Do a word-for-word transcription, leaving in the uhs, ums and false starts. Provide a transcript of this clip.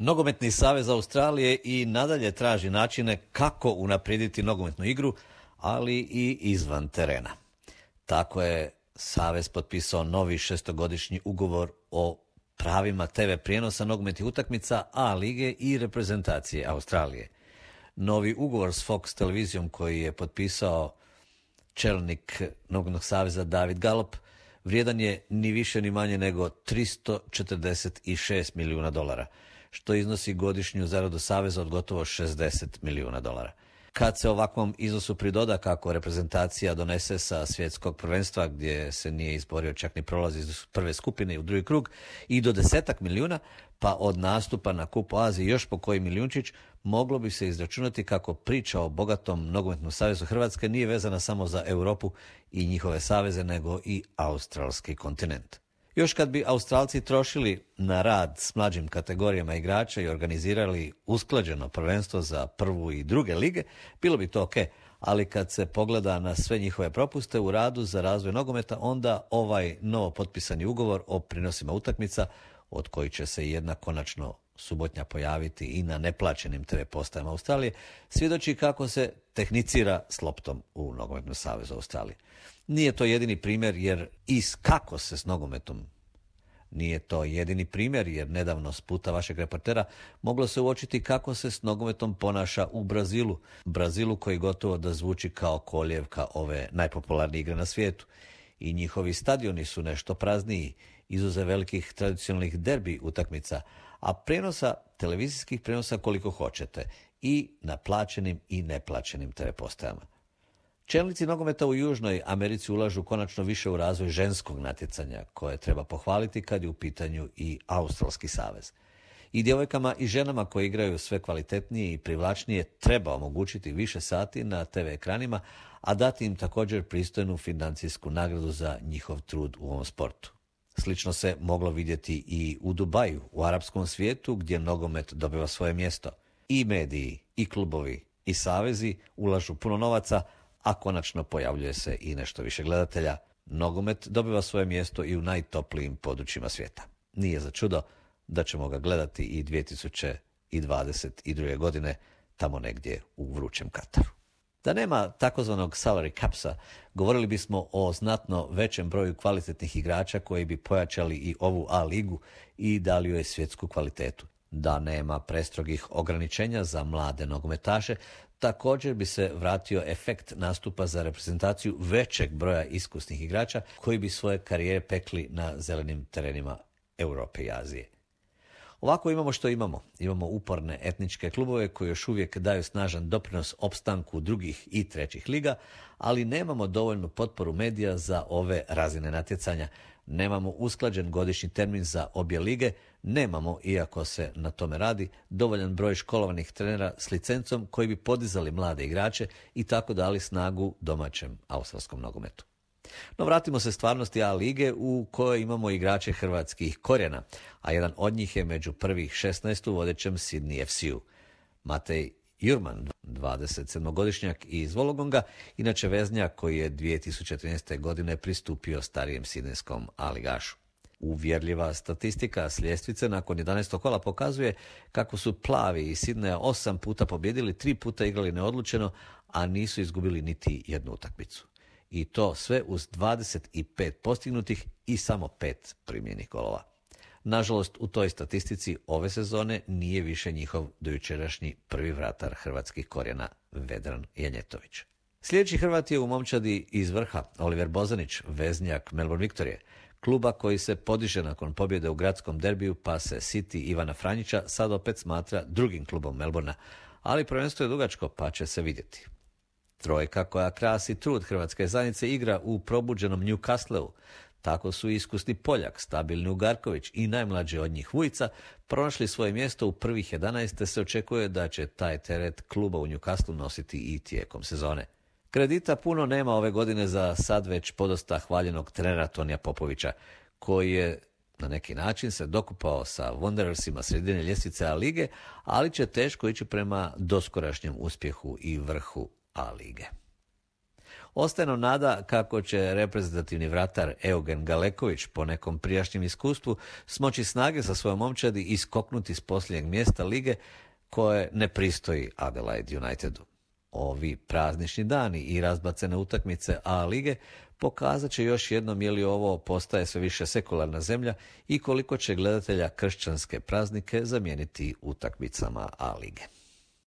Nogometni savez Australije i nadalje traži načine kako unaprijediti nogometnu igru, ali i izvan terena. Tako je savez potpisao novi šestogodišnji ugovor o pravima te ve prijenosa nogometnih utakmica A lige i reprezentacije Australije. Novi ugovor s Fox televizijom koji je potpisao čelnik Nogometnog saveza David Gallop vrijedan je ni više ni manje nego tristo četrdeset šest milijuna dolara, što iznosi godišnju zaradu saveza od gotovo šezdeset milijuna dolara. Kad se ovakvom iznosu pridoda kako reprezentacija donese sa svjetskog prvenstva, gdje se nije izborio čak ni prolaz iz prve skupine u drugi krug, i do desetak milijuna, pa od nastupa na Kupu Azije još po koji milijunčić, moglo bi se izračunati kako priča o bogatom nogometnom savezu Hrvatske nije vezana samo za Europu i njihove saveze, nego i australski kontinent. Još kad bi Australci trošili na rad s mlađim kategorijama igrača i organizirali usklađeno prvenstvo za prvu i druge lige, bilo bi to ok, ali kad se pogleda na sve njihove propuste u radu za razvoj nogometa, onda ovaj novo potpisani ugovor o prinosima utakmica, od koji će se jedna konačno subotnja pojaviti i na neplaćenim te ve postajama Australije, svjedoči kako se tehnicira s loptom u Nogometnom savezu Australije. Nije to jedini primjer jer i kako se s nogometom Nije to jedini primjer jer nedavno s puta vašeg reportera moglo se uočiti kako se s nogometom ponaša u Brazilu. Brazilu koji gotovo da zvuči kao kolijevka ove najpopularnije igre na svijetu. I njihovi stadioni su nešto prazniji, izuzev velikih tradicionalnih derbi utakmica, a prenosa, televizijskih prenosa koliko hoćete, i na plaćenim i neplaćenim te ve postajama. Čelnici nogometa u Južnoj Americi ulažu konačno više u razvoj ženskog natjecanja, koje treba pohvaliti kad je u pitanju i Australski savez. I djevojkama i ženama koje igraju sve kvalitetnije i privlačnije treba omogućiti više sati na te ve ekranima, a dati im također pristojnu financijsku nagradu za njihov trud u ovom sportu. Slično se moglo vidjeti i u Dubaju, u arapskom svijetu, gdje nogomet dobiva svoje mjesto. I mediji, i klubovi, i savezi ulažu puno novaca, a konačno pojavljuje se i nešto više gledatelja. Nogomet dobiva svoje mjesto i u najtoplijim područjima svijeta. Nije za čudo da ćemo ga gledati i dvije tisuće dvadeset druge. godine tamo negdje u vrućem Kataru. Da nema takozvanog salary capsa, govorili bismo o znatno većem broju kvalitetnih igrača koji bi pojačali i ovu A ligu i dali joj svjetsku kvalitetu. Da nema prestrogih ograničenja za mlade nogometaše, također bi se vratio efekt nastupa za reprezentaciju većeg broja iskusnih igrača koji bi svoje karijere pekli na zelenim terenima Europe i Azije. Ovako imamo što imamo. Imamo uporne etničke klubove koji još uvijek daju snažan doprinos opstanku drugih i trećih liga, ali nemamo dovoljnu potporu medija za ove razine natjecanja. Nemamo usklađen godišnji termin za obje lige, nemamo, iako se na tome radi, dovoljan broj školovanih trenera s licencom koji bi podizali mlade igrače i tako dali snagu domaćem australskom nogometu. No vratimo se stvarnosti A lige u kojoj imamo igrače hrvatskih korijena, a jedan od njih je među prvih šesnaest u vodećem Sydney ef ce u. Matej Jurman, dvadesetsedmogodišnjak iz Wollongonga, inače veznjak koji je dvije tisuće trinaeste. godine pristupio starijem sidnejskom A ligašu. Uvjerljiva statistika s ljestvice nakon jedanaestog kola pokazuje kako su plavi iz Sidneja osam puta pobjedili, tri puta igrali neodlučeno, a nisu izgubili niti jednu utakmicu. I to sve uz dvadeset pet postignutih i samo pet primljenih golova. Nažalost, u toj statistici ove sezone nije više njihov dojučerašnji prvi vratar hrvatskih korijena Vedran Janjetović. Sljedeći Hrvat je u momčadi iz vrha Oliver Bozanić, veznjak Melbourne Viktorije, kluba koji se podiže nakon pobjede u gradskom derbiju, pa se City Ivana Franjića sad opet smatra drugim klubom Melbourna, ali prvenstvo je dugačko pa će se vidjeti. Trojka koja krasi trud hrvatske zajednice igra u probuđenom Newcastleu. Tako su iskusni Poljak, stabilni Ugarković i najmlađi od njih Vujica pronašli svoje mjesto u prvih jedanaest, te se očekuje da će taj teret kluba u Newcastlu nositi i tijekom sezone. Kredita puno nema ove godine za sad već podosta hvaljenog trenera Tonija Popovića, koji je na neki način se dokupao sa Wanderersima sredine ljestvice A lige, ali će teško ići prema doskorašnjem uspjehu i vrhu A lige. Ostaje nam nada kako će reprezentativni vratar Eugen Galeković po nekom prijašnjem iskustvu smoći snage sa svojom momčadi i skoknuti s posljednjeg mjesta lige koje ne pristoji Adelaide Unitedu. Ovi praznični dani i razbacene utakmice A lige pokazat će još jednom je li ovo postaje sve više sekularna zemlja i koliko će gledatelja kršćanske praznike zamijeniti utakmicama A lige.